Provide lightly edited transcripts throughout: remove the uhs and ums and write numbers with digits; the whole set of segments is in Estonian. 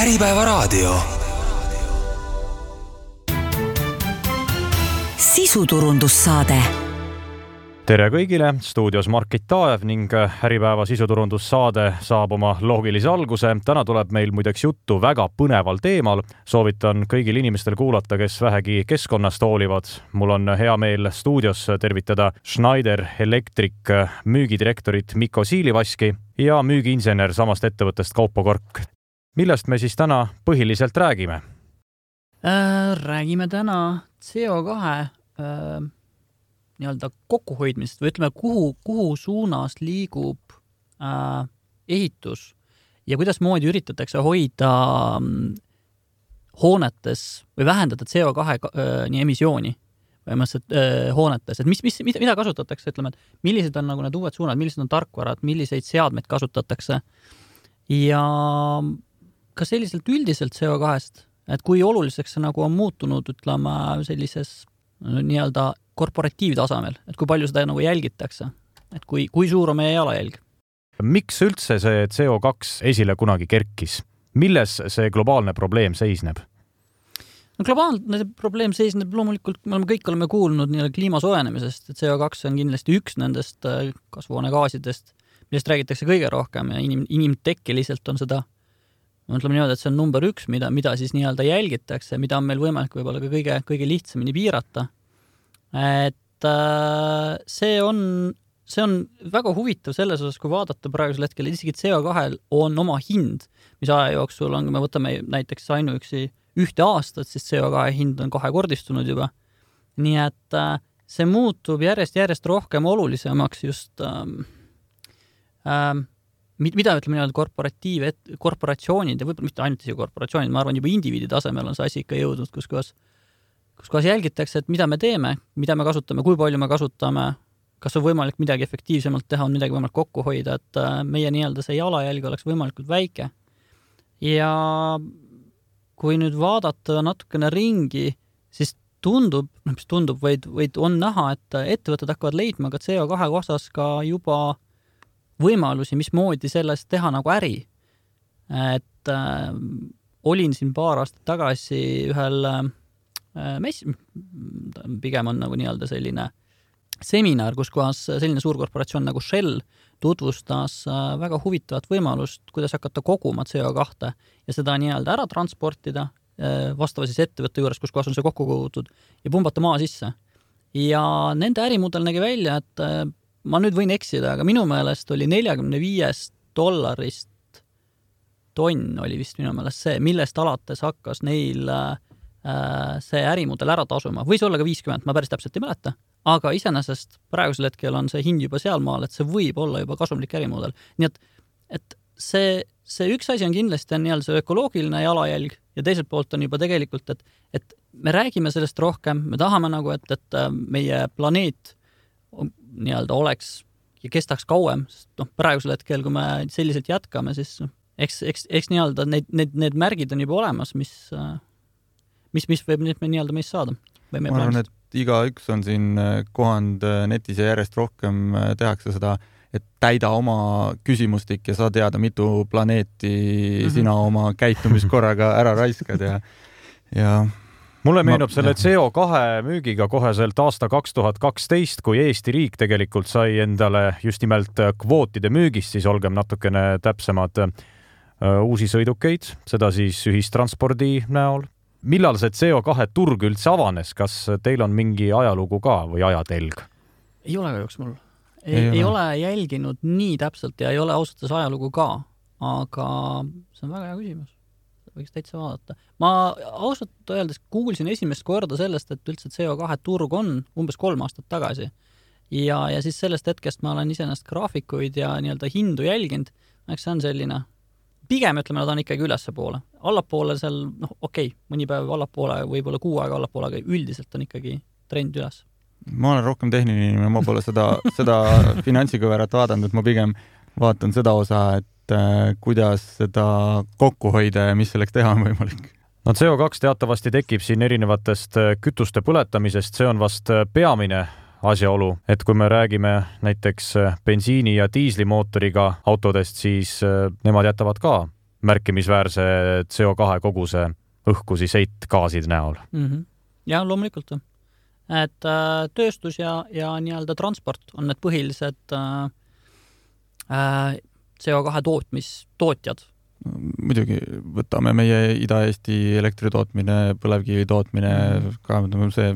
Äripäevaraadio. Sisuturundussaade. Tere kõigile, stuudios Margit Taev ning Äripäeva sisuturundussaade saab oma loogilise alguse. Täna tuleb meil muideks juttu väga põneval teemal. Soovitan kõigil inimestel kuulata, kes vähegi keskkonnast hoolivad. Mul on hea meel stuudios tervitada Schneider Electric müügidirektorit Mikko Siilivaski ja müügiinsener samast ettevõttest Kaupo Kork. Millest me siis täna põhiliselt räägime? Räägime täna CO2 nii-öelda kokkuhoidmisest või ütleme, kuhu suunas liigub ehitus ja kuidas moodi üritatakse hoida hoonetes või vähendada CO2 emissiooni hoonetes. Et mida kasutatakse, ütleme, et millised on nagu need uued suunad, millised on tarkvarad, milliseid seadmeid kasutatakse ja ka selliselt üldiselt CO2-st, et kui oluliseks see nagu on muutunud, ütleme, sellises nii-öelda korporatiivtasemel, et kui palju seda nagu jälgitakse, et kui suur on meie jalajälg. Miks üldse see CO2 esile kunagi kerkis? Milles see globaalne probleem seisneb? No, globaalne probleem seisneb loomulikult, me oleme kuulnud nii-öelda kliima soojenemisest, et CO2 on kindlasti üks nendest kasvuhoonegaasidest, millest räägitakse kõige rohkem ja inimtekkeliselt on seda, ütleme niimoodi, et see on number 1, mida siis nii-öelda jälgitakse, mida on meil võimalik võib-olla ka kõige lihtsamini piirata. Et see on väga huvitav selles osas, kui vaadata praegusel hetkel, isegi CO2 on oma hind, mis aja jooksul on, kui me võtame näiteks ainuüksi 1 aastat, siis CO2 hind on 2-kordistunud juba. Nii et see muutub järjest rohkem olulisemaks just mida ütleme nii-öelda korporatsioonid ja võib-olla mitte ainult isi korporatsioonid, ma arvan, juba indiviidi tasemel on see asi ikka jõudnud, kus kohas jälgitakse, et mida me teeme, mida me kasutame, kui palju me kasutame, kas on võimalik midagi efektiivsemalt teha, on midagi võimalik kokku hoida, et meie nii-öelda see jalajälg oleks võimalikult väike. Ja kui nüüd vaadata natukene ringi, siis vaid on näha, et ettevõtted hakkavad leidma ka CO2 osas ka juba võimalusi, mismoodi sellest teha nagu äri. Et olin siin paar aastat tagasi ühel pigem on nagu nii-öelda selline seminar, kus kohas selline suurkorporatsioon nagu Shell tutvustas väga huvitavat võimalust, kuidas hakata koguma CO2 ja seda nii-öelda ära transportida vastava siis ettevõtte juures, kus kohas on see kokku kogutud ja pumbata maa sisse. Ja nende ärimudel nägi välja, et ma nüüd võin eksida, aga minu meelest oli $45 tonn oli vist minu meelest see, millest alates hakkas neil see ärimudel ära tasuma. Võis olla ka 50, ma päris täpselt ei mäleta, aga iseenesest praegusel hetkel on see hind juba sealmaal, et see võib olla juba kasumlik ärimudel. Nii et see üks asi on kindlasti nii-öelda see ökoloogiline jalajälg ja teiselt poolt on juba tegelikult, et me räägime sellest rohkem, me tahame nagu, et meie planeet nii-öelda oleks ja kestaks kauem, sest praegusel hetkel, kui me selliselt jätkame, siis eks nii-öelda need märgid on juba olemas, mis võib nii-öelda meist saada. Ma arvan, et iga üks on siin kohand netis ja järjest rohkem tehakse seda, et täida oma küsimustik ja saa teada, mitu planeeti sina oma käitumiskorraga ära raiskad ja mulle meenub selle CO2 müügiga koheselt aasta 2012, kui Eesti riik tegelikult sai endale just nimelt kvootide müügist, siis olgem natukene täpsemad uusi sõidukeid, seda siis ühistranspordi näol. Millal see CO2 turg üldse avanes? Kas teil on mingi ajalugu ka või ajatelg? Ei ole kahjuks mul. Ei ole jälginud nii täpselt ja ei ole ausalt ajalugu ka, aga see on väga hea küsimus. Võiks täitsa vaadata. Ma ausalt öeldes kuulsin esimest korda sellest, et üldse CO2 turg on umbes 3 aastat tagasi. Ja siis sellest hetkest ma olen iseenesest graafikuid ja nii-öelda hindu jälginud. Eks see on selline, pigem ütleme, nad on ikkagi ülesse poole. Allapoole seal, mõni päev allapoole, võib-olla 6 aega allapoole, aga üldiselt on ikkagi trend üles. Ma olen rohkem tehniline, ma pole seda finantsikõverat vaadanud, ma pigem vaatan seda osa, et kuidas seda kokku hoida ja mis selleks teha on võimalik. No CO2 teatavasti tekib siin erinevatest kütuste põletamisest, see on vast peamine asjaolu, et kui me räägime näiteks bensiini- ja diislimootoriga autodest, siis nemad jätavad ka märkimisväärse CO2 koguse õhku siis heitgaaside näol. Ja loomulikult. Et tööstus ja nii-öelda transport on need põhilised CO2 tootjad. Muidugi võtame meie Ida-Eesti elektritootmine, põlevkivi tootmine, see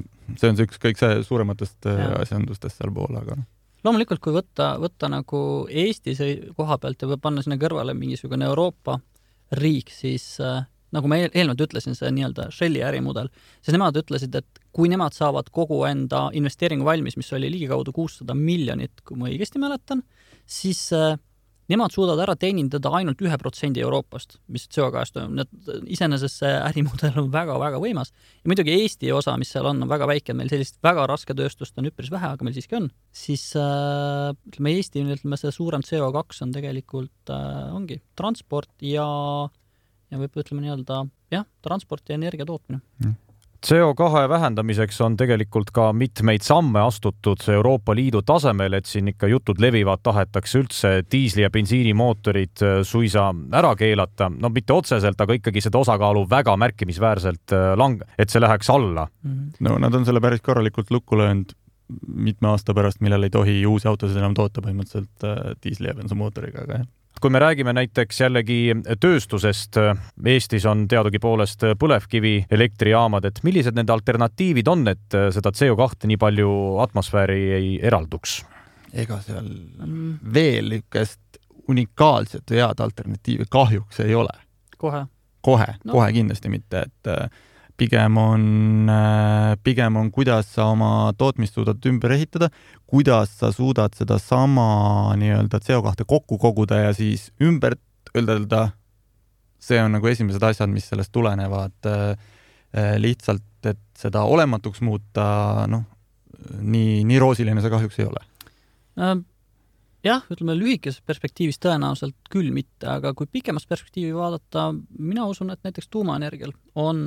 on see üks kõik see suurematest asjandustest seal pool, aga loomulikult, kui võtta nagu Eesti koha pealt ja panna sinna kõrvale mingisugune Euroopa riik, siis nagu ma eelnevalt ütlesin, see nii-öelda Shelli ärimudel, siis nemad ütlesid, et kui nemad saavad kogu enda investeeringu valmis, mis oli ligikaudu 600 miljonit, kui ma õigesti mäletan, siis nemad suudavad ära teenindada ainult 1% Euroopast, mis CO2-st on. Iseenesest see ärimudel on väga-väga võimas. Ja muidugi Eesti osa, mis seal on väga väike, meil sellist väga raske tööstust on üpris vähe, aga meil siiski on. Siis ütleme Eesti, see suurem CO2 on tegelikult ongi transport ja võib ütleme nii-öelda transport ja energia tootmine. CO2 vähendamiseks on tegelikult ka mitmeid samme astutud Euroopa Liidu tasemel, et siin ikka jutud levivad, tahetakse üldse diisli- ja bensiinimootorid suisa ära keelata. No mitte otseselt, aga ikkagi seda osakaalu väga märkimisväärselt et see läheks alla. No nad on selle päris korralikult lukku löönud mitme aasta pärast, millal ei tohi uusi autosid enam toota põhimõtteliselt diisli- ja bensamootoriga, aga Kui me räägime näiteks jällegi tööstusest, Eestis on teadugi poolest põlevkivi elektrijaamad, et millised nende alternatiivid on, et seda CO2 nii palju atmosfääri ei eralduks? Ega seal veel ükest unikaalset või head alternatiivi kahjuks ei ole. Kohe kindlasti mitte, et pigem on, kuidas sa oma tootmist suudad ümber ehitada, kuidas sa suudad seda sama nii-öelda CO2 kokku koguda ja siis ümber öelda, see on nagu esimesed asjad, mis sellest tulenevad lihtsalt, et seda olematuks muuta, nii roosiline see kahjuks ei ole. Jah, ütleme lühikeses perspektiivis tõenäoliselt küll mitte, aga kui pikemas perspektiivi vaadata, mina usun, et näiteks tuumaenergial on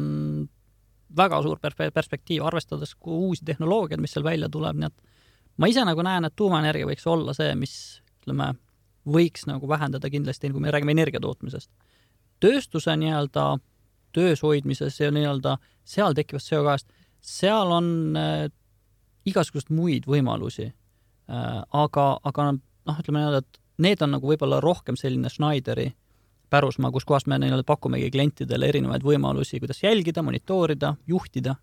väga suur perspektiiv, arvestades uusi tehnoloogiad, mis seal välja tuleb, nii et ma ise nagu näen, et tuumaenergia võiks olla see, mis ütleme, võiks nagu vähendada kindlasti, kui me räägime energiatootmisest. Tööstuse nii-öelda töös hoidmises ja nii-öelda seal tekkivast CO2-st, seal on igasugust muid võimalusi, aga ütleme nii-öelda, et need on nagu võib-olla rohkem selline Schneideri pärusmaa, kus kohast me pakumegi klientidele erinevaid võimalusi, kuidas jälgida, monitoorida, juhtida,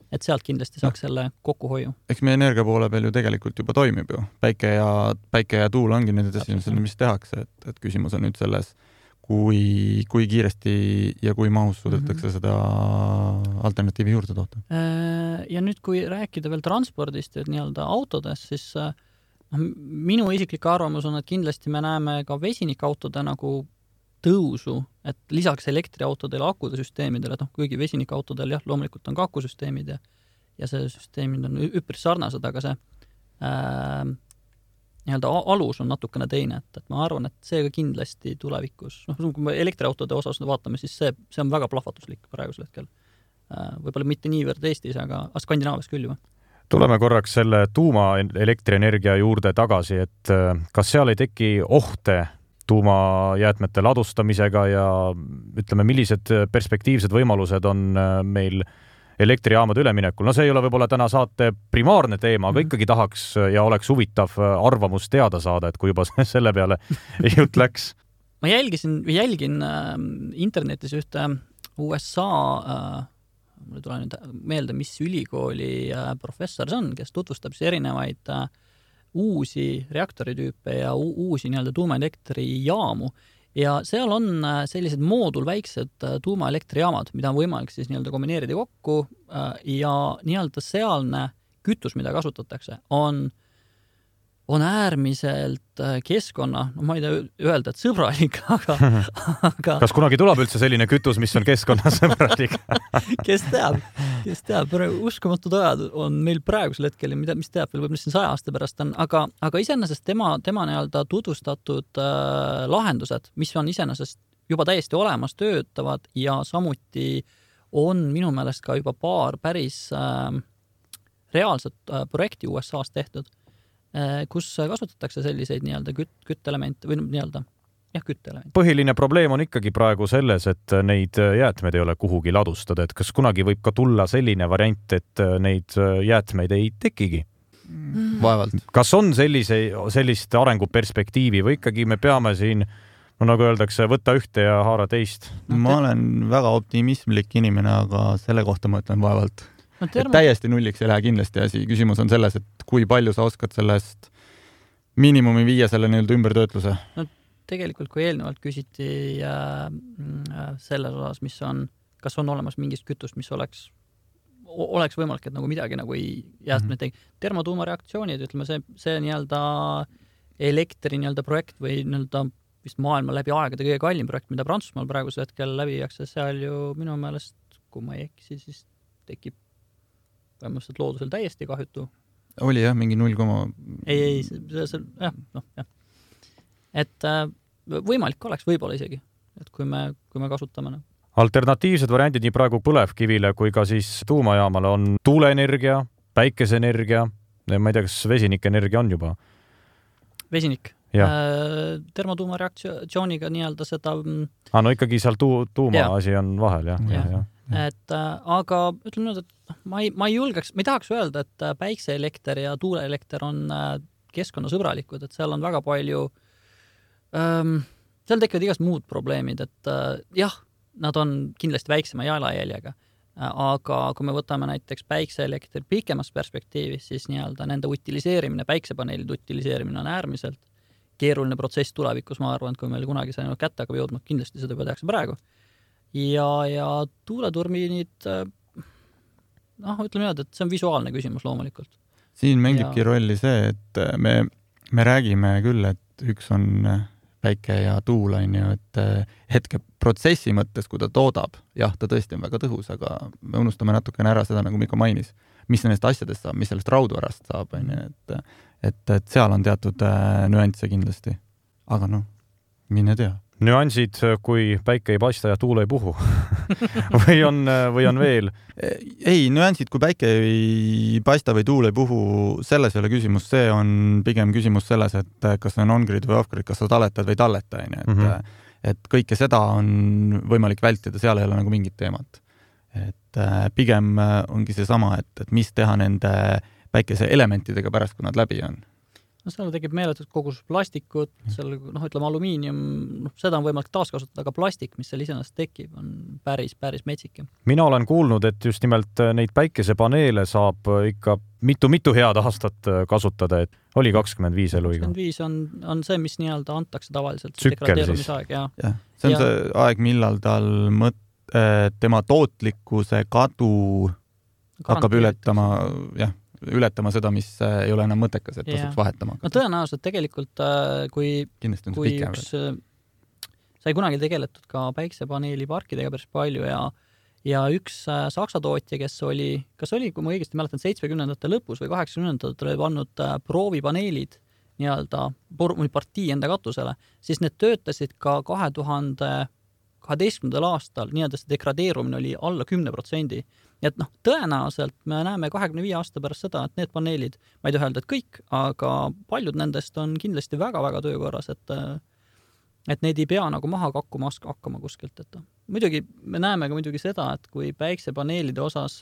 et sealt kindlasti saaks selle kokkuhoiu. Eks meie energia poole peal ju tegelikult juba toimib ju. Päike ja tuul ongi need esimesed, mis tehakse, et küsimus on nüüd selles, kui kiiresti ja kui mahus suudetakse seda alternatiivi juurde toota. Ja nüüd, kui rääkida veel transpordist ja nii-öelda autodest, siis minu isiklik arvamus on, et kindlasti me näeme ka vesinikautode nagu tõusu, et lisaks elektriautodele akude süsteemidele, kuigi vesinikautodel loomulikult on ka akusüsteemid ja see süsteemid on üpris sarnased, aga see nii-öelda alus on natukene teine, et ma arvan, et see ka kindlasti tulevikus, kui me elektriautode osas vaatame, siis see on väga plahvatuslik praegusel hetkel. Võib-olla mitte niivõrd Eestis, aga Skandinaavias küll juba. Tuleme korraks selle tuumaelektrienergia juurde tagasi, et kas seal ei teki ohte tuumajäätmete ladustamisega ja ütleme, millised perspektiivsed võimalused on meil elektrijaamade üleminekul. No see ei ole võib-olla täna saate primaarne teema, aga ikkagi tahaks ja oleks huvitav arvamus teada saada, et kui juba selle peale jutt läks. Ma jälgin internetis ühte USA, mulle tule nüüd meelde, mis ülikooli professor see on, kes tutvustab erinevaid uusi reaktoritüüpe ja uusi nii-öelda tuumaelektrijaamu ja seal on sellised väiksed tuumaelektrijaamad, mida on võimalik siis nii-öelda kombineerida kokku ja nii-öelda sealne kütus, mida kasutatakse, on äärmiselt keskkonna, ma ei tea öelda, et sõbralik, aga Kas kunagi tuleb üldse selline kütus, mis on keskkonnasõbralik? Kes teab, uskumatud ajad on meil praegusel hetkel, mis teab veel võib-olla siin 100 aasta pärast on, aga iseenesest tema nii-öelda tutvustatud lahendused, mis on iseenesest juba täiesti olemas, töötavad ja samuti on minu meelest ka juba paar päris reaalset projekti USA-s tehtud, kus kasutatakse selliseid nii-öelda küttelemente või nii-öelda jah, küttele. Põhiline probleem on ikkagi praegu selles, et neid jäätmeid ei ole kuhugi ladustada, et kas kunagi võib ka tulla selline variant, et neid jäätmeid ei tekigi? Vaevalt. Kas on sellist arenguperspektiivi või ikkagi me peame siin, no nagu öeldakse, võtta ühte ja haara teist? Ma olen väga optimismlik inimene, aga selle kohta ma ütlen vaevalt. Täiesti nulliks ei lähe kindlasti asi. Küsimus on selles, et kui palju sa oskad sellest miinimumi viia selle nii-öelda ümbertöötluse? No tegelikult, kui eelnevalt küsiti selles osas, mis on, kas on olemas mingist kütust, mis oleks võimalik, et nagu midagi nagu ei jäätmed tegi. Termotuumareaktsioonid, ütleme see nii-öelda elektri nii-öelda projekt või nii-öelda vist maailma läbi aegade kõige kallim projekt, mida Prantsusmaal praegusel hetkel läbi viiakse, seal ju minu meelest, kui ma ei eksi, siis tekib vähemalt loodusel täiesti kahjutu. Oli jah, mingi 0, Ei, jah. Et võimalik oleks võib-olla isegi, et kui me kasutame. Alternatiivsed variandid nii praegu põlevkivile kui ka siis tuumajaamale on tuuleenergia, päikeseenergia, ma ei tea, kas vesinikenergia on juba? Vesinik. Termotuumareaktsiooniga nii-öelda seda... no ikkagi seal tuuma asi on vahel, jah. Et, aga ütleme nüüd, et ma ei julgeks, ma ei tahaks öelda, et päikseelekter ja tuuleelekter on keskkonnasõbralikud, et seal on väga palju, seal tekivad igast muud probleemid, et jah, nad on kindlasti väiksema jalajäljega, aga kui me võtame näiteks päikseelektri pikemas perspektiivis, siis nii-öelda nende utiliseerimine, päiksepaneelide utiliseerimine on äärmiselt keeruline protsess tulevikus, ma arvan, et kui meil kunagi see kätte hakkab jõudma, kindlasti seda tehakse praegu. Ja tuuleturbiinid, ütleme nii, et see on visuaalne küsimus loomulikult. Siin mängibki rolli see, et me räägime küll, et üks on päike ja tuul, et hetke protsessi mõttes, kui ta toodab, jah, ta tõesti on väga tõhus, aga me unustame natukene ära seda, nagu Mikko mainis, mis nendest asjadest saab, mis sellest raudvarast saab, et seal on teatud nüansse kindlasti. Aga mine tea. Nüansid, kui päike ei paista ja tuul ei puhu või on veel? Ei, nüansid, kui päike ei paista või tuul ei puhu, selles ei ole küsimus, see on pigem küsimus selles, et kas on on-grid või off-grid, kas sa talletad või talleta, et kõike seda on võimalik vältida, seal ei ole nagu mingit teemat. Et pigem ongi see sama, et mis teha nende päikese elementidega pärast, kui nad läbi on. Seal tekib meeletud kogus plastikut, seal, ütleme alumiinium, seda on võimalik taaskasutada, aga plastik, mis seal iseenesest tekib, on päris metsik. Mina olen kuulnud, et just nimelt neid päikesepaneele saab ikka mitu head aastat kasutada, et oli 25 eluiga. 25 on see, mis nii-öelda antakse tavaliselt. Tsükkel siis. Ja. See on see aeg, millal tal tema tootlikkuse kadu hakkab ületama seda, mis ei ole enam mõttekas, et tasuks vahetama. Tõenäoliselt tegelikult, kui üks sai kunagi tegeletud ka päiksepaneeli parkidega päris palju ja üks saksa tootja, kes oli, kui ma õigesti mäletan, 70-ndate lõpus või 80-ndatel oli pannud proovipaneelid nii-öelda partii enda katusele, siis need töötasid ka 2012. Aastal, nii-öelda see degradeerumine oli alla 10%. Et tõenäoliselt me näeme 25 aasta pärast seda, et need paneelid, ma ei taha öelda, et kõik, aga paljud nendest on kindlasti väga-väga töökorras, et neid ei pea nagu maha hakkama kuskilt. Et muidugi me näeme ka muidugi seda, et kui päiksepaneelide osas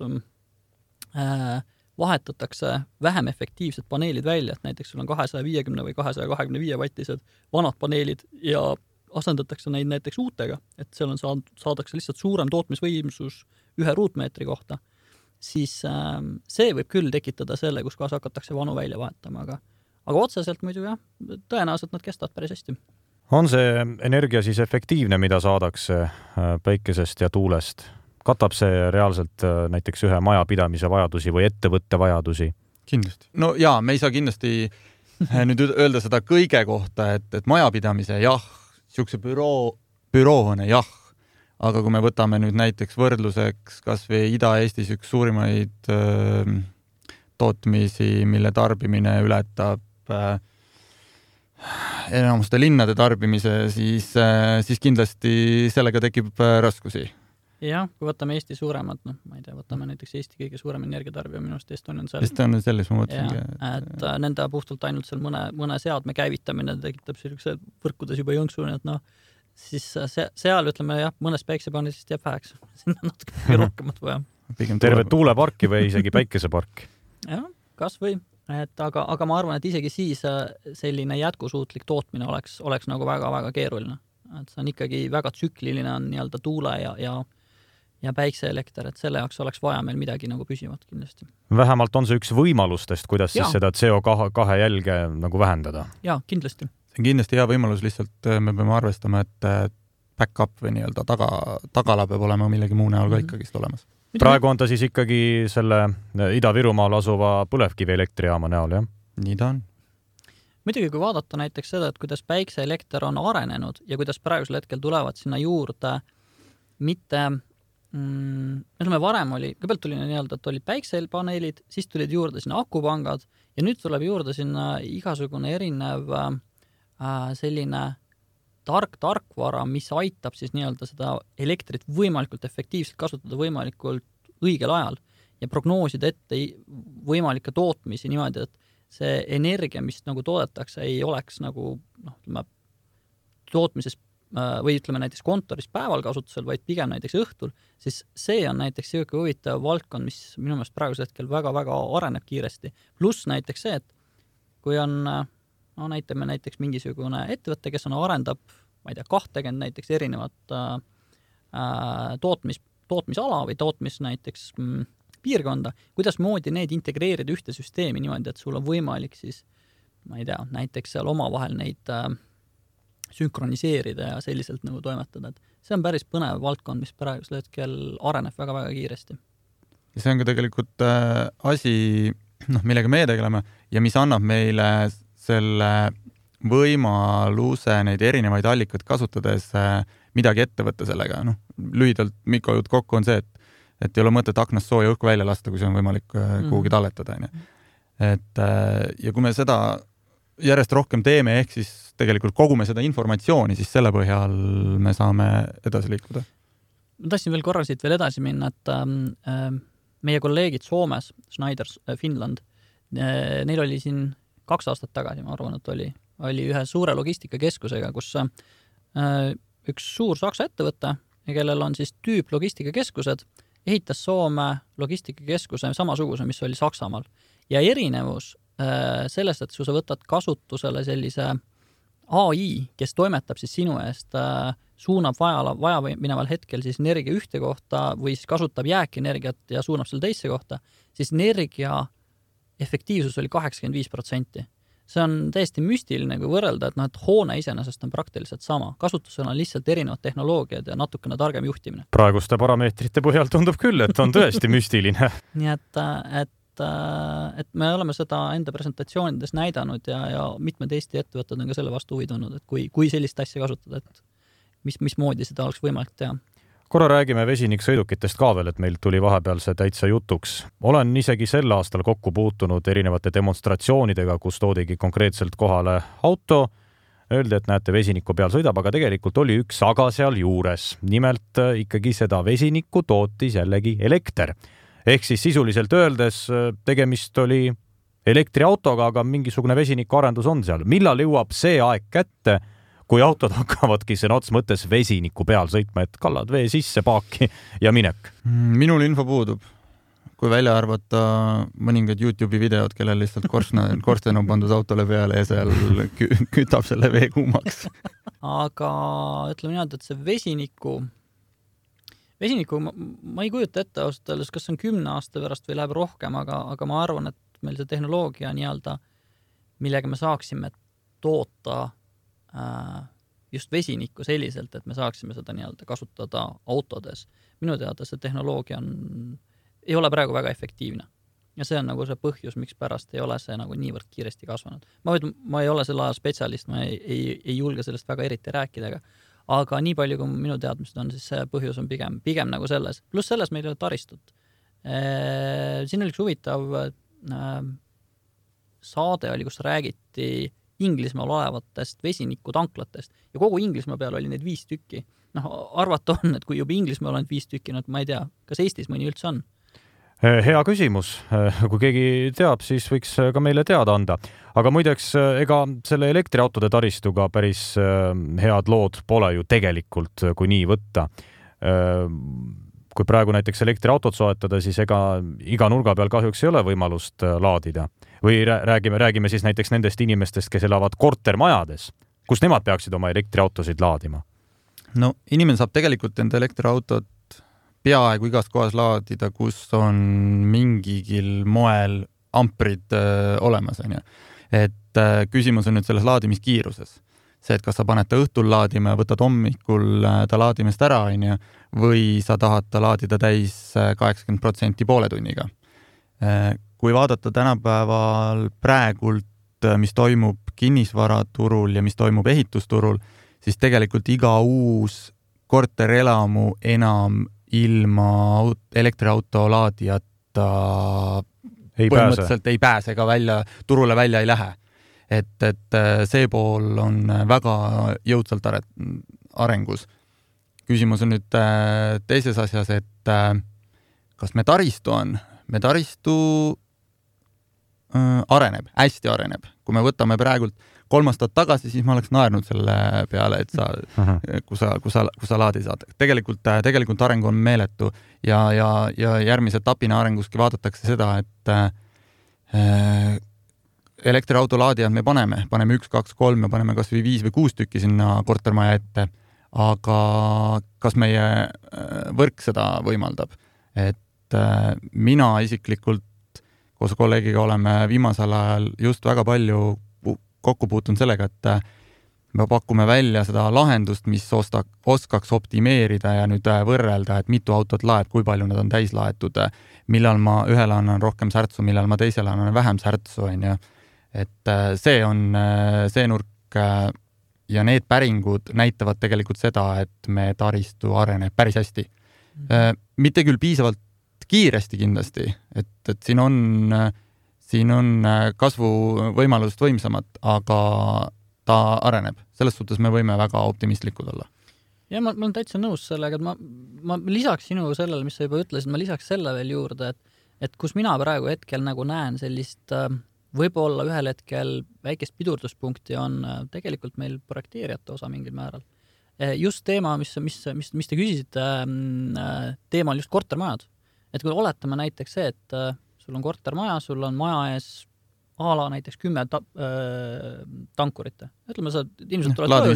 vahetatakse vähem efektiivsed paneelid välja, et näiteks sul on 250 või 225 vattised vanad paneelid ja asendatakse neid näiteks uutega, et seal on saadakse lihtsalt suurem tootmisvõimsus 1 ruutmeetri kohta, siis see võib küll tekitada selle, kus kohas hakatakse vanu välja vahetama, aga otseselt muidu jah, tõenäoliselt nad kestavad päris hästi. On see energia siis efektiivne, mida saadakse päikesest ja tuulest? Katab see reaalselt näiteks ühe majapidamise vajadusi või ettevõtte vajadusi? Kindlasti. No jaa, me ei saa kindlasti nüüd öelda seda kõige kohta, et majapidamise jah, siukse büroone jah, aga kui me võtame nüüd näiteks võrdluseks kas või Ida-Eestis üks suurimaid tootmisi, mille tarbimine ületab enamuste linnade tarbimise, siis kindlasti sellega tekib raskusi. jah, kui võtame Eesti suuremad, ma ei tea, võtame näiteks Eesti kõige suurem energiatarbija minu arust Estonian Cell. Estonian Cellis ma mõtlesingi. Et nende puhtalt ainult seal mõne seadme käivitamine tekitab sellise võrkudes juba jõnksu, et siis seal ütleme jah, mõnes päiksepaneelist jääb väheks. Sinna natuke rohkemat vaja. Terve tuuleparki või isegi päikesepark. Jah, kas või. Aga ma arvan, et isegi siis selline jätkusuutlik tootmine oleks nagu väga-väga keeruline. Et see on ikkagi väga tsükliline on nii-öelda tuule ja päikseelekter, et selle jaoks oleks vaja meil midagi nagu püsivat kindlasti. Vähemalt on see üks võimalustest, kuidas siis seda CO2 jälge nagu vähendada. Jaa, kindlasti. See on kindlasti hea võimalus, lihtsalt me peame arvestama, et back-up või nii-öelda tagala peab olema millegi muu näol ka ikkagist olemas. Praegu on ta siis ikkagi selle Ida-Virumaal asuva põlevkivielektrijaama näol, jah? Nii ta on. Muidugi, kui vaadata näiteks seda, et kuidas päikseelekter on arenenud ja kuidas praegusel hetkel tulevad sinna juurde mitte, ütleme varem oli, kõigepealt tuli nii-öelda, et olid päiksepaneelid, siis tulid juurde sinna akupangad ja nüüd tuleb juurde sinna igasugune erinev selline tarkvara, mis aitab siis nii-öelda seda elektrit võimalikult efektiivselt kasutada võimalikult õigel ajal ja prognoosida ette võimalikke tootmisi niimoodi, et see energia, mis nagu toodetakse, ei oleks nagu tootmises või ütleme näiteks kontoris päeval kasutusel, vaid pigem näiteks õhtul, siis see on näiteks selline huvitav valdkond, mis minu meelest praegusel hetkel väga-väga areneb kiiresti. Pluss näiteks see, et kui on näitame näiteks mingisugune ettevõtte, kes arendab, ma ei tea, 20 näiteks erinevat tootmisala või tootmis näiteks piirkonda, kuidas moodi need integreerida ühte süsteemi niimoodi, et sul on võimalik siis, ma ei tea, näiteks seal omavahel neid sünkroniseerida ja selliselt nagu toimetada. Et see on päris põnev valdkond, mis praegusel hetkel areneb väga-väga kiiresti. Ja see on ka tegelikult asi, millega me tegeleme ja mis annab meile selle võimaluse neid erinevaid allikaid kasutades midagi ette võtta sellega. Lühidalt Mikko jutt kokku on see, et ei ole mõtet aknast sooja õhku välja lasta, kui see on võimalik kuhugi talletada. Ja kui me seda järjest rohkem teeme, ehk siis tegelikult kogume seda informatsiooni, siis selle põhjal me saame edasi liikuda. Ma tahtsin veel korra siit veel edasi minna, et meie kolleegid Soomes, Schneider Finland, neil oli siin 2 aastat tagasi, ma arvan, et oli ühe suure logistikakeskusega, kus üks suur Saksa ettevõte, kellel on siis tüüp logistikakeskused, ehitas Soome logistikakeskuse samasuguse, mis oli Saksamaal. Ja erinevus sellest, et sa võtad kasutusele sellise AI, kes toimetab siis sinu eest, suunab vaja mineval hetkel siis energia ühte kohta või siis kasutab jääkenergiat ja suunab selle teisse kohta, siis energia efektiivsus oli 85%. See on täiesti müstiline, kui võrrelda, et hoone iseenesest on praktiliselt sama. Kasutusel on lihtsalt erinevad tehnoloogiad ja natukene targem juhtimine. Praeguste parameetrite põhjal tundub küll, et on tõesti müstiline. Nii et me oleme seda enda presentatsioonides näidanud ja mitmed Eesti ettevõtted on ka selle vastu huvi tundnud, et kui sellist asja kasutada, et mismoodi seda oleks võimalik teha. Korra räägime vesiniksõidukitest ka veel, et meil tuli vahepeal see täitsa jutuks. Olen isegi sel aastal kokku puutunud erinevate demonstratsioonidega, kus toodigi konkreetselt kohale auto. Öeldi, et näete, vesiniku peal sõidab, aga tegelikult oli üks aga seal juures. Nimelt ikkagi seda vesinikku tootis jällegi elekter. Ehk siis sisuliselt öeldes tegemist oli elektriautoga, aga mingisugune vesinikuarendus on seal. Millal jõuab see aeg kätte, kui autod hakkavadki sõna ots mõttes vesiniku peal sõitma, et kallad vee sisse paaki ja minek? Minul info puudub. Kui välja arvata mõningad YouTube'i videod, kellel lihtsalt korsten on pandud autole peale ja seal kütab selle vee kuumaks. Aga ütleme niimoodi, et see vesiniku ma ei kujuta ette ausalt öeldes, kas on 10 aasta pärast või läheb rohkem, aga ma arvan, et meil see tehnoloogia nii-öelda, millega me saaksime toota just vesinikku selliselt, et me saaksime seda nii-öelda kasutada autodes. Minu teada see tehnoloogia ei ole praegu väga efektiivne. Ja see on nagu see põhjus, miks pärast ei ole see nagu niivõrd kiiresti kasvanud. Ma ei ole selle aja spetsialist, ma ei julge sellest väga eriti rääkida, aga nii palju, kui minu teadmised on, siis see põhjus on pigem nagu selles. Pluss selles meil ei ole taristut. Siin oli üks huvitav saade oli, kus räägiti Inglismaal olevatest vesinikutanklatest ja kogu Inglismaa peal oli neid 5 tükki arvata on, et kui juba Inglismaal on 5 tükki, ma ei tea, kas Eestis mõni üldse on? Hea küsimus. Kui keegi teab, siis võiks ka meile teada anda. Aga muideks, ega selle elektriautode taristuga päris head lood pole ju tegelikult, kui nii võtta. Kui praegu näiteks elektriautot soetada, siis ega iga nurga peal kahjuks ei ole võimalust laadida. Või räägime siis näiteks nendest inimestest, kes elavad kortermajades. Kus nemad peaksid oma elektriautosid laadima? No inimene saab tegelikult enda elektriautot peaaegu igas kohas laadida, kus on mingigil moel amprid olemas. Et küsimus on nüüd selles laadimiskiiruses. See, et kas sa paned ta õhtul laadima ja võtad hommikul ta laadimist ära, või sa tahad ta laadida täis 80% poole tunniga. Kui vaadata tänapäeval praegult, mis toimub kinnisvaraturul ja mis toimub ehitusturul, siis tegelikult iga uus korterelamu enam ilma elektriauto laadijata põhimõtteliselt ei pääse ka turule välja ei lähe. Et see pool on väga jõudsalt arengus. Küsimus on nüüd teises asjas, et kas me taristu on? Me taristu areneb, hästi areneb. Kui me võtame praegult 3 aastat tagasi, siis ma oleks naernud selle peale, et kui sa laadi saad. Tegelikult areng on meeletu ja järgmise etapina arenguski vaadatakse seda, et elektriauto laadijad me paneme 1, 2, 3 ja paneme kas või 5 või 6 tükki sinna kortermaja ette, aga kas meie võrk seda võimaldab? Et mina isiklikult koos kolleegiga oleme viimasel ajal just väga palju kokku puutunud sellega, et me pakume välja seda lahendust, mis oskaks optimeerida ja nüüd võrrelda, et mitu autot laeb, kui palju nad on täis laetud, millal ma ühele annan rohkem särtsu, millal ma teisele annan vähem särtsu, et see on see nurk ja need päringud näitavad tegelikult seda, et me taristu areneb päris hästi. Mitte küll piisavalt kiiresti kindlasti, et siin on kasvuvõimalust võimsamad, aga ta areneb. Selles suhtes me võime väga optimistlikud olla. Ja ma olen täitsa nõus sellega, et ma lisaks sinu sellele, mis sa juba ütlesid, ma lisaks selle veel juurde, et kus mina praegu hetkel nagu näen sellist võib-olla ühel hetkel väikest pidurduspunkti on tegelikult meil projekteerijate osa mingil määral. Just teema, mis te küsisite, teema on just kortermajad. Et kui oletame näiteks see, et sul on kortermaja, sul on maja ees ala näiteks 10 tankurite. Ütleme, sa inimesed tulevad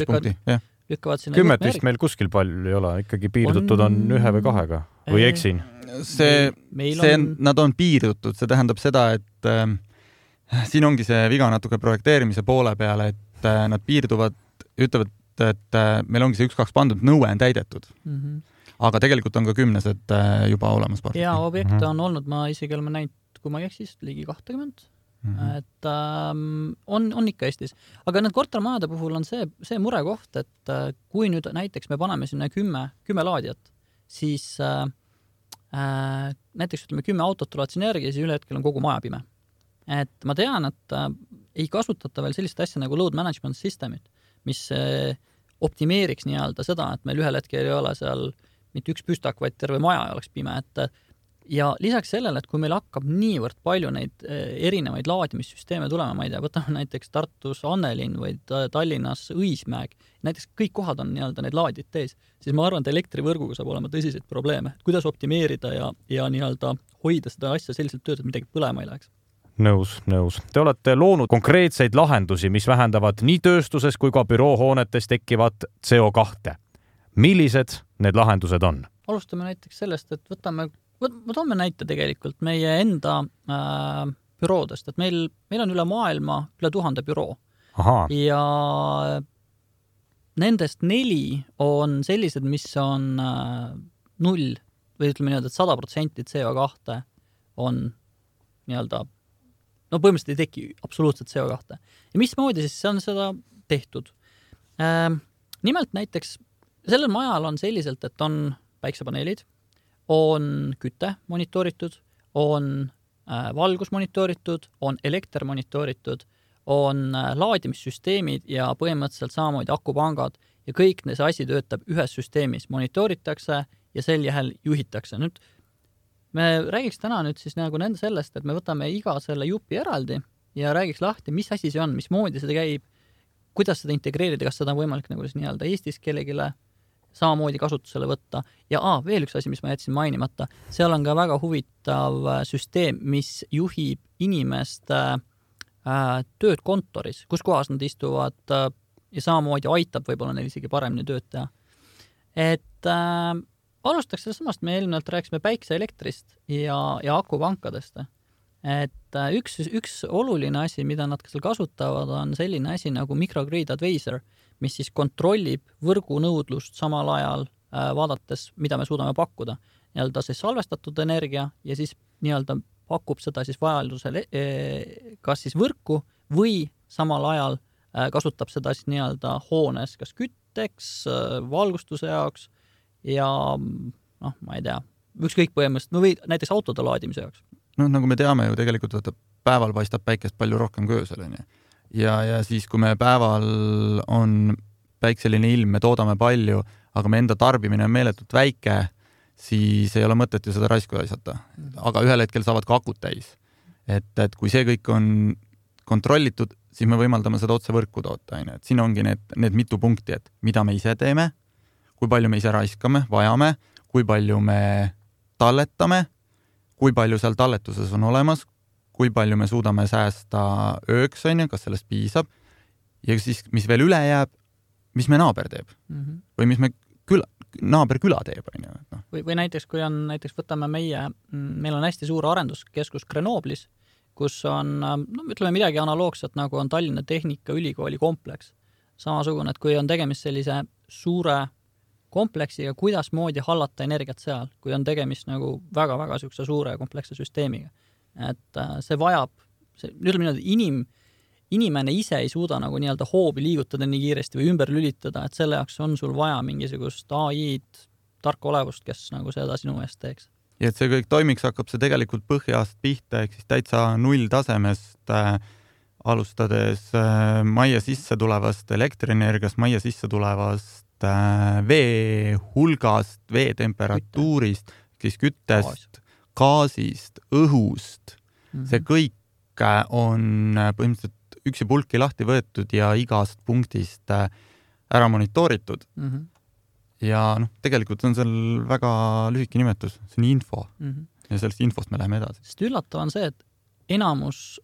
lükkavad sinna 10 vist meil kuskil palju ei ole, ikkagi piirdutud on 1 või 2 või eksin? Nad on piirdutud, see tähendab seda, et siin ongi see viga natuke projekteerimise poole peale, et nad piirduvad, ütlevad, et meil ongi see 1-2 pandud, nõue on täidetud. Aga tegelikult on ka 10 juba olemas. Ja objekte on olnud, ma isegi oleme näinud, kui ma ei eksis, ligi 20. Et on ikka Eestis. Aga need kortermajade puhul on see murekoht, et kui nüüd näiteks me paneme sinna 10 laadijat, siis näiteks ütleme 10 autot tulevad sinergia ja siis üle hetkel on kogu maja pime. Et ma tean, et ei kasutata veel sellist asja nagu load management systemid, mis optimeeriks nii-öelda seda, et meil ühel hetkel ei ole seal mitte üks püstak, vaid terve maja oleks pime. Ja lisaks sellele, et kui meil hakkab niivõrd palju neid erinevaid laadimissüsteeme tulema, ma ei tea, võtame näiteks Tartus Annelinn või Tallinnas Õismäeg, näiteks kõik kohad on nii-öelda need laadid tees, siis ma arvan, et elektrivõrguga saab olema tõsiseid probleeme. Kuidas optimeerida ja nii-öelda hoida seda asja selliselt tööd, et midagi põlema ei läheks? Nõus. Te olete loonud konkreetseid lahendusi, mis vähendavad nii tööstuses kui ka büroohoonetes tekkivat CO2. Millised need lahendused on? Alustame näiteks sellest, et ma toome näite tegelikult meie enda büroodest, et meil on üle maailma üle 1000 büroo. Ja nendest 4 on sellised, mis on 0 või ütleme nii-öelda, et 100% CO2 on nii-öelda põhimõtteliselt ei teki absoluutselt CO2. Ja mismoodi siis on seda tehtud? Nimelt näiteks sellel majal on selliselt, et on päiksepaneelid, on küte monitooritud, on valgus monitooritud, on elekter monitooritud, on laadimissüsteemid ja põhimõtteliselt samamoodi akupangad ja kõik see asi töötab ühes süsteemis, monitooritakse ja sel jääl juhitakse. Nüüd me räägiks täna nüüd siis nagu nende sellest, et me võtame iga selle jupi eraldi ja räägiks lahti, mis asi see on, mismoodi seda käib, kuidas seda integreerida, kas seda on võimalik nagu nii-öelda Eestis kellegile samamoodi kasutusele võtta. Ja veel üks asi, mis ma jätsin mainimata, seal on ka väga huvitav süsteem, mis juhib inimeste tööd kontoris, kus kohas nad istuvad ja samamoodi aitab võib-olla neil isegi paremini tööd teha. Et alustaks sellest samast, me eelmine rääkisime päikseelektrist ja akupankadest. Et üks oluline asi, mida nad seal kasutavad, on selline asi nagu microgrid advisor, mis siis kontrollib võrgunõudlust samal ajal vaadates, mida me suudame pakkuda. Nii-öelda siis salvestatud energia ja siis nii-öelda pakub seda siis vajadusel kas siis võrku või samal ajal kasutab seda siis nii-öelda hoones kas kütteks, valgustuse jaoks ja ma ei tea, ükskõik põhimõtteliselt, või näiteks autode laadimise jaoks. Nagu me teame ju tegelikult, päeval paistab päikest palju rohkem kui öösel. Ja siis, kui me päeval on päikseline ilm, me toodame palju, aga me enda tarbimine on meeletult väike, siis ei ole mõtet ju seda raisku aisata. Aga ühel hetkel saavad ka akud täis. Et kui see kõik on kontrollitud, siis me võimaldame seda otse võrku toota. Et siin ongi need mitu punkti, et mida me ise teeme, kui palju me ise raiskame, vajame, kui palju me talletame, kui palju seal talletuses on olemas, kui palju me suudame säästa ööks, kas sellest piisab, ja siis, mis veel üle jääb, mis me naaber teeb. Või mis me naaber küla teeb. Või näiteks, kui on, võtame meil on hästi suur arenduskeskus Grenoblis, kus on, ütleme midagi analoogset, nagu on Tallinna Tehnikaülikooli kompleks. Samasugune, et kui on tegemist sellise suure kompleksiga, kuidas moodi hallata energiat seal, kui on tegemist nagu väga-väga sükse suure kompleksse süsteemiga. Et see vajab, ütleme inimene ise ei suuda nagu nii-öelda hoobi liigutada nii kiiresti või ümber lülitada, et selle jaoks on sul vaja mingisugust AI-d, tarka olevust, kes nagu seda sinu eest teeks. Ja et see kõik toimiks, hakkab see tegelikult põhjast pihta, ehk siis täitsa null tasemest alustades majja sisse tulevast elektrienergiast, majja sisse tulevast vee hulgast, vee temperatuurist, siis küttest, gaasist, õhust. See kõik on põhimõtteliselt üksi pulki lahti võetud ja igast punktist ära monitooritud. Ja tegelikult on seal väga lühike nimetus, see on info. Ja sellest infost me läheme edasi. Sest üllatav on see, et enamus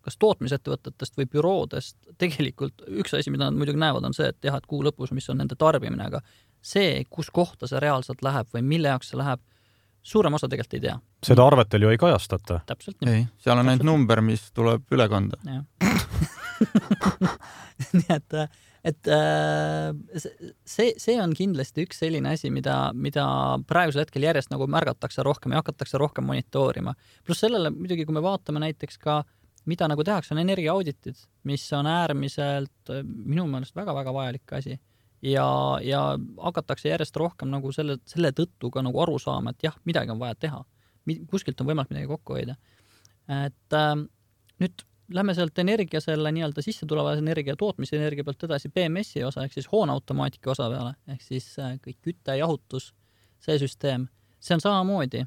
kas tootmisettevõtetest või büroodest tegelikult üks asi, mida nad muidugi näevad, on see, et jah, et kuu lõpus, mis on nende tarbimine, aga see, kus kohta see reaalselt läheb või mille jaoks see läheb, suurem osa tegelikult ei tea. Seda arvetel ju ei kajastata. Täpselt nii. Ei, seal on ainult number, mis tuleb üle kanda. Nii et see on kindlasti üks selline asi, mida praegusel hetkel järjest nagu märgatakse rohkem ja hakatakse rohkem monitoorima. Plus sellele muidugi, kui me vaatame näiteks ka mida nagu tehakse, on energiaauditid, mis on äärmiselt minu meelest väga-väga vajalik asi. Ja hakatakse järjest rohkem nagu selle tõttu ka nagu aru saama, et jah, midagi on vaja teha. Kuskilt on võimalik midagi kokku hoida. Et nüüd lähme sealt energia selle nii-öelda sisse tuleva energia tootmise energia pealt edasi BMS-i osa, ehk siis hooneautomaatika osa peale, ehk siis kõik kütte, jahutus, see süsteem. See on samamoodi,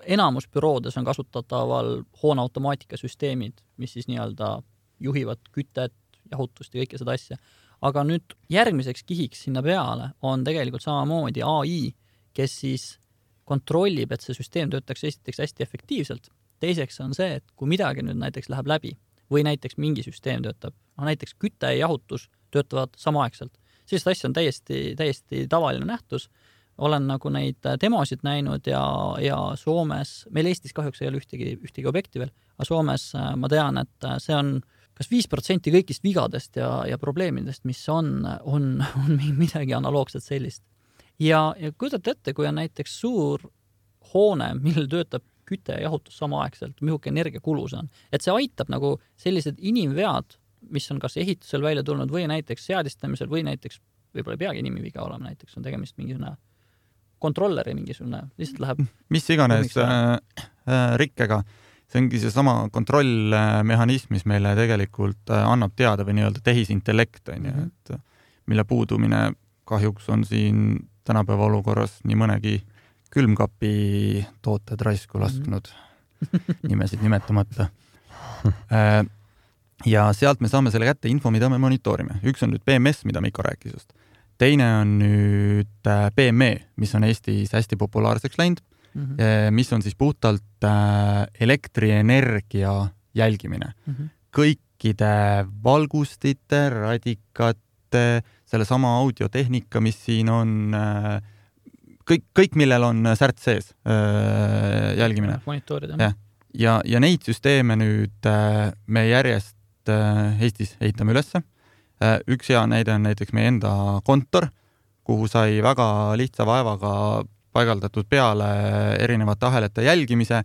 enamus büroodes on kasutataval hooneautomaatika süsteemid, mis siis nii-öelda juhivad kütet, jahutust ja kõike seda asja. Aga nüüd järgmiseks kihiks sinna peale on tegelikult samamoodi AI, kes siis kontrollib, et see süsteem töötaks esiteks hästi efektiivselt. Teiseks on see, et kui midagi nüüd näiteks läheb läbi või näiteks mingi süsteem töötab, näiteks küte ja jahutus töötavad samaaegselt. Sellist asja on täiesti tavaline nähtus. Olen nagu neid demosid näinud ja Soomes, meil Eestis kahjuks ei ole ühtegi objekti veel, aga Soomes ma tean, et see on kas 5% kõigist vigadest ja probleemidest, mis on midagi analoogset sellist. Ja kujutate ette, kui on näiteks suur hoone, millel töötab küte ja jahutus samaaegselt, mihuke energiakulus on. Et see aitab nagu sellised inimvead, mis on kas ehitusel välja tulnud või näiteks seadistamisel või näiteks võib-olla ei peagi inimviga olema, näiteks on tegemist mingisugune kontrolleri mingisugune, lihtsalt läheb mis iganes rikkega. See ongi see sama kontrollmehhanism, mis meile tegelikult annab teada või nii-öelda tehisintellekt. Et mille puudumine kahjuks on siin tänapäeva olukorras nii mõnegi külmkapi tooted raisku lasknud, nimesid nimetamata. Ja sealt me saame selle kätte info, mida me monitoorime. Üks on nüüd BMS, mida Mikko rääkis just. Teine on nüüd PME, mis on Eestis hästi populaarseks läinud, mis on siis puhtalt elektrienergia jälgimine. Kõikide valgustite, radikate, selle sama audiotehnika, mis siin on, kõik millel on särt sees jälgimine. Monitoorida. Ja neid süsteeme nüüd me järjest Eestis ehitame ülesse. Üks hea näide on näiteks meie enda kontor, kuhu sai väga lihtsa vaevaga paigaldatud peale erinevate ahelate jälgimise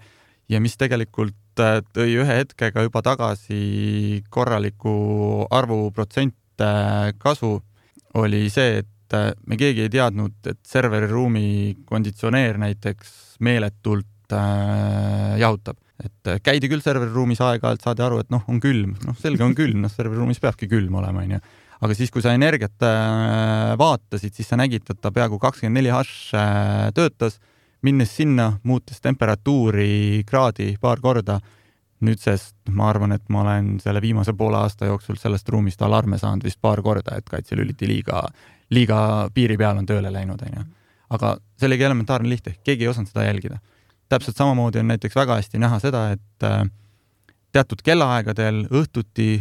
ja mis tegelikult tõi ühe hetkega juba tagasi korraliku arvuprotsent kasu, oli see, et me keegi ei teadnud, et serveriruumi konditsioneer näiteks meeletult jahutab. Et käidi küll serveriruumis aeg-ajalt, saadi aru, et on külm. Selge on külm, serveriruumis peabki külm olema. Aga siis, kui sa energiat vaatasid, siis sa nägid, et ta peaaegu 24H töötas, minnes sinna, muutes temperatuuri kraadi paar korda. Nüüdsest ma arvan, et ma olen selle viimase poole aasta jooksul sellest ruumist alarme saanud vist paar korda, et kaitselüliti liiga piiri peal on tööle läinud. Aga see oligi elementaarne lihtne, keegi ei osanud seda jälgida. Täpselt samamoodi on näiteks väga hästi näha seda, et teatud kellaaegadel õhtuti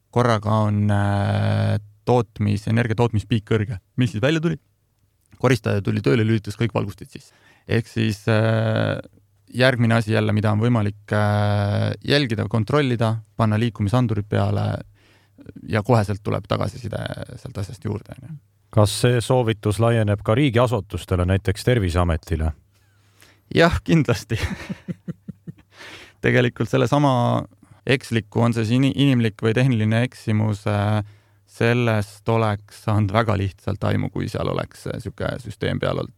korraga on energia tootmispiik kõrge. Mis siis välja tuli? Koristaja tuli tööle, lülitas kõik valgustid siis. Ehk siis järgmine asi jälle, mida on võimalik jälgida, kontrollida, panna liikumisandurid peale ja koheselt tuleb tagasiside sealt asjast juurde. Kas see soovitus laieneb ka riigiasutustele, näiteks Terviseametile? Jah, kindlasti. Tegelikult selle sama eksliku, on see inimlik või tehniline eksimus, sellest oleks saanud väga lihtsalt aimu, kui seal oleks siuke süsteem peal olnud.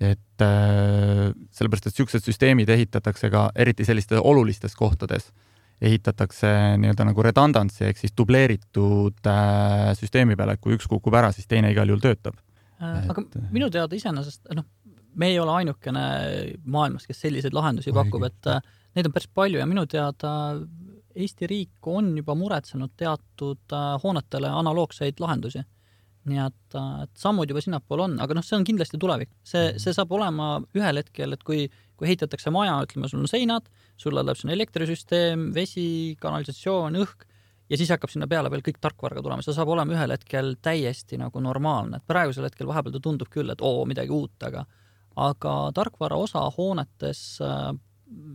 Et sellepärast, et siuksed süsteemid ehitatakse ka eriti sellistes olulistes kohtades, ehitatakse nii-öelda nagu redundancy, ehk siis dubleeritud süsteemi peale, et kui üks kukub ära, siis teine igal juhul töötab. Aga minu teada iseenesest, me ei ole ainukene maailmas, kes selliseid lahendusi pakub, et neid on päris palju ja minu teada Eesti riik on juba muretsenud teatud hoonetele analoogseid lahendusi. Nii et sammud juba sinnapool on, aga see on kindlasti tulevik. See saab olema ühel hetkel, et kui ehitatakse maja, ütleme, sul on seinad, sulle läheb sinna elektrisüsteem, vesi, kanalisatsioon, õhk ja siis hakkab sinna peale veel kõik tarkvarga tulema. See saab olema ühel hetkel täiesti nagu normaalne. Et praegusel hetkel vahepeal ta tundub küll, et midagi uut, aga tarkvara osa hoonetes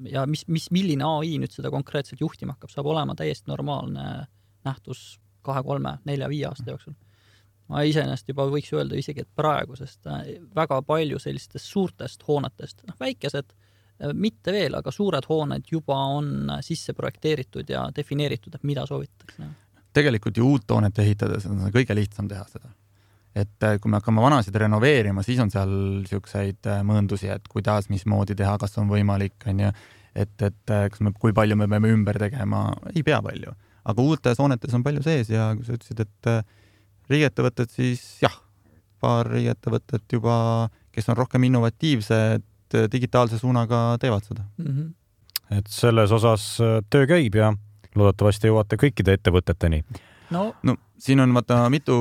ja milline AI nüüd seda konkreetselt juhtima hakkab, saab olema täiesti normaalne nähtus 2, 3, 4, 5 aasta jooksul. Ma iseenesest juba võiks öelda isegi, et praegu, sest väga palju sellistest suurtest hoonetest, väikesed, mitte veel, aga suured hooned juba on sisse projekteeritud ja defineeritud, et mida soovitatakse. Tegelikult ju uut hoonet ehitades on kõige lihtsam teha seda. Et kui me hakkame vanasid renoveerima, siis on seal siukseid mõõndusi, et kuidas, mismoodi teha, kas on võimalik, kui palju me peame ümber tegema, ei pea palju. Aga uutes hoonetes on palju sees ja kui sa ütlesid, et riigiettevõtted, siis jah, paar riigiettevõtted juba, kes on rohkem innovatiivsed, digitaalse suunaga teevad seda. Et selles osas töö käib ja loodetavasti jõuate kõikide ettevõteteni. No, siin on mitu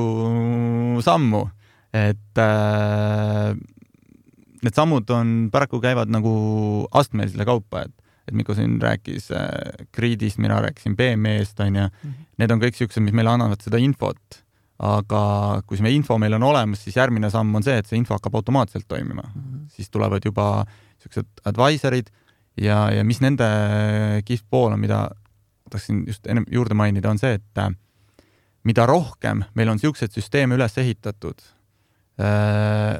sammu, et need sammud paraku käivad nagu astmelisele kaupa, et Mikko siin rääkis Gridist, mina rääkisin BME-st, need on kõik siuksed, mis meile annavad seda infot, aga kui see info meil on olemas, siis järgmine samm on see, et see info hakkab automaatselt toimima. Siis tulevad juba siuksed advisorid ja mis nende kihvt pool on, mida tahtsin just enne juurde mainida, on see, et mida rohkem meil on siuksed süsteeme üles ehitatud,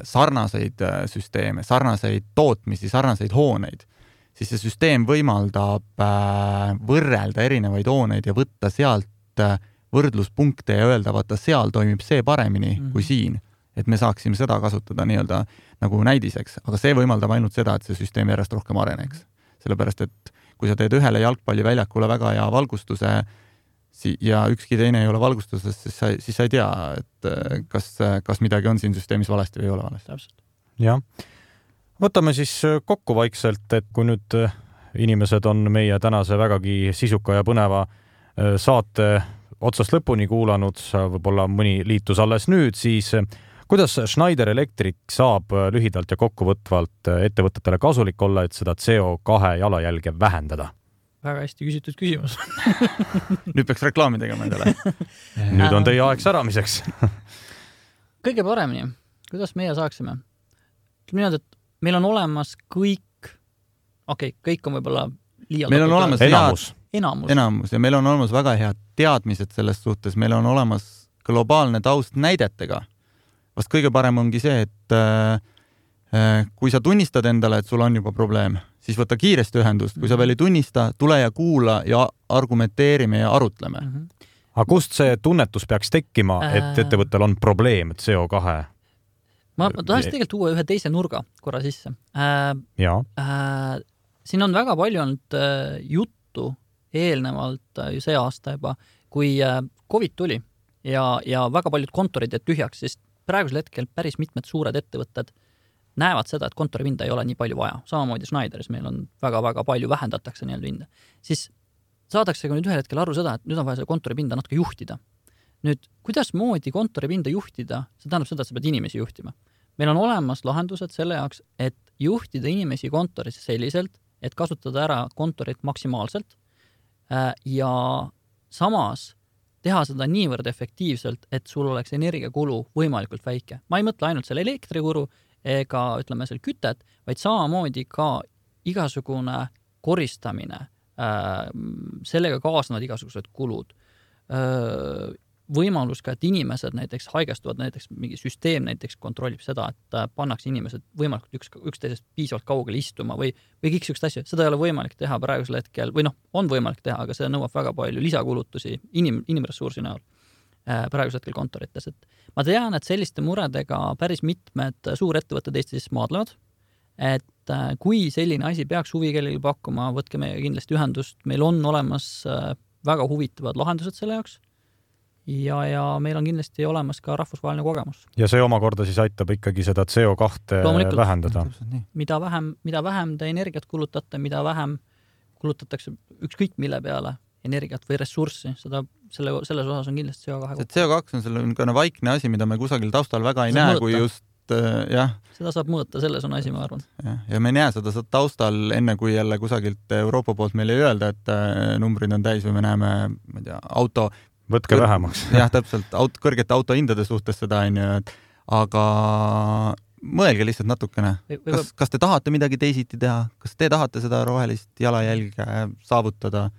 sarnaseid süsteeme, sarnaseid tootmisi, sarnaseid hooneid, siis see süsteem võimaldab võrrelda erinevaid hooneid ja võtta sealt võrdluspunkte ja öelda, vaata, seal toimib see paremini kui siin, et me saaksime seda kasutada nii-öelda nagu näidiseks, aga see võimaldab ainult seda, et see süsteem järjest rohkem areneks. Sellepärast, et kui sa teed ühele jalgpalliväljakule väga hea valgustuse, ja ükski teine ei ole valgustuses, siis sa ei tea, et kas midagi on siin süsteemis valesti või ei ole valesti. Täpselt. Jah. Võtame siis kokku vaikselt, et kui nüüd inimesed on meie tänase vägagi sisuka ja põneva saate otsast lõpuni kuulanud, võib-olla mõni liitus alles nüüd, siis kuidas Schneider Electric saab lühidalt ja kokkuvõtvalt ettevõtetele kasulik olla, et seda CO2 jalajälge vähendada? Väga hästi küsitud küsimus. Nüüd peaks reklaami tegema endale. Nüüd on teie aeg säramiseks. Kõige paremini, kuidas meie saaksime? Niimoodi, et meil on olemas kõik on võib-olla liialt. Meil on olemas enamus ja meil on olemas väga head teadmised selles suhtes. Meil on olemas globaalne taust näidetega. Vast kõige parem ongi see, et kui sa tunnistad endale, et sul on juba probleem, siis võta kiiresti ühendust. Kui sa veel ei tunnista, tule ja kuula ja argumenteerime ja arutleme. Aga kust see tunnetus peaks tekkima, et ettevõttel on probleem CO2? Ma tahaks tegelikult tuua ühe teise nurga korra sisse. Siin on väga palju olnud juttu eelnevalt ju see aasta juba, kui COVID tuli ja väga paljud kontorid jäid tühjaks, sest praegusel hetkel päris mitmed suured ettevõtted näevad seda, et kontoripinda ei ole nii palju vaja. Samamoodi Schneideris meil on väga-väga palju vähendatakse nii-öelda pinda. Siis saadakse nüüd ühel hetkel aru seda, et nüüd on vaja seda kontoripinda natuke juhtida. Nüüd, kuidas moodi kontoripinda juhtida, see tähendab seda, et sa pead inimesi juhtima. Meil on olemas lahendused selle jaoks, et juhtida inimesi kontoris selliselt, et kasutada ära kontorit maksimaalselt ja samas teha seda niivõrd efektiivselt, et sul oleks energiakulu võimalikult väike. Ma ei mõtle ainult selle elektrikulu ega ütleme seal kütet, vaid samamoodi ka igasugune koristamine, sellega kaasnevad igasugused kulud. Võimalus ka, et inimesed näiteks haigestuvad, näiteks mingi süsteem näiteks kontrollib seda, et pannakse inimesed võimalikult üksteisest piisavalt kaugele istuma või kõik sükst asju. Seda ei ole võimalik teha praegusel hetkel, või on võimalik teha, aga see nõuab väga palju lisakulutusi inimressursi näol praegusel hetkel kontorites. Et ma tean, et selliste muredega päris mitmed suurettevõtted Eestis maadlevad, et kui selline asi peaks huvi kellelgi pakkuma, võtke meiega kindlasti ühendust. Meil on olemas väga huvitavad lahendused selle jaoks. Ja meil on kindlasti olemas ka rahvusvaheline kogemus. Ja see omakorda siis aitab ikkagi seda CO2 vähendada. Mida vähem te energiat kulutate, mida vähem kulutatakse ükskõik mille peale energiat või ressurssi, selles osas on kindlasti CO2. See CO2 on selline vaikne asi, mida me kusagil taustal väga ei näe, kui just Seda saab mõõta, selles on asi, ma arvan. Ja me ei näe seda taustal enne, kui jälle kusagilt Euroopa poolt meile ei öelda, et numbrid on täis või me näeme, ma ei tea, auto võtke vähemaks. Jah, täpselt, kõrgete autohindade suhtes seda on ju, aga mõelge lihtsalt natukene. Kas te tahate midagi teisiti teha? Kas te tahate seda rohelist jalajälge saavutada?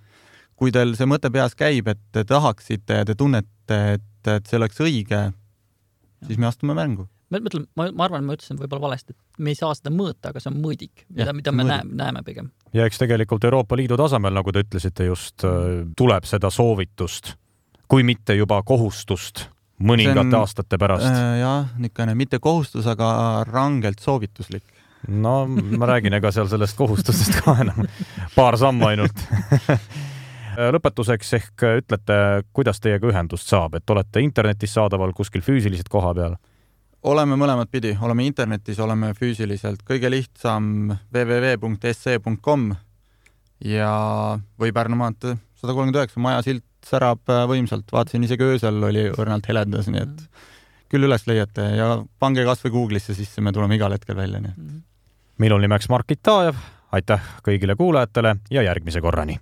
Kui teil see mõte peas käib, et te tahaksite ja te tunnete, et see oleks õige, siis me astume mängu. Ma arvan, ma ütlesin võib-olla valesti, et me ei saa seda mõõta, aga see on mõõdik, mida me näeme pigem. Ja eks tegelikult Euroopa Liidu tasemel, nagu te ütlesite just, tuleb seda soovitust, kui mitte juba kohustust mõningate aastate pärast. Jah, niisugune mitte kohustus, aga rangelt soovituslik. No ma räägin, ega seal sellest kohustustest ka enam paar sammu ainult. Lõpetuseks ehk ütlete, kuidas teiega ühendust saab, et olete internetis saadaval kuskil füüsiliselt koha peal? Oleme mõlemad pidi, oleme internetis, oleme füüsiliselt. Kõige lihtsam www.sc.com ja või Pärnu maantee 139 maja silt särab võimsalt. Vaatasin isegi öösel oli õrnalt heledas, nii et küll üles leiate ja pange kas või Google'isse sisse, me tuleme igal hetkel välja. Nii. Minul nimeks Mark Itajev, aitäh kõigile kuulajatele ja järgmise korrani!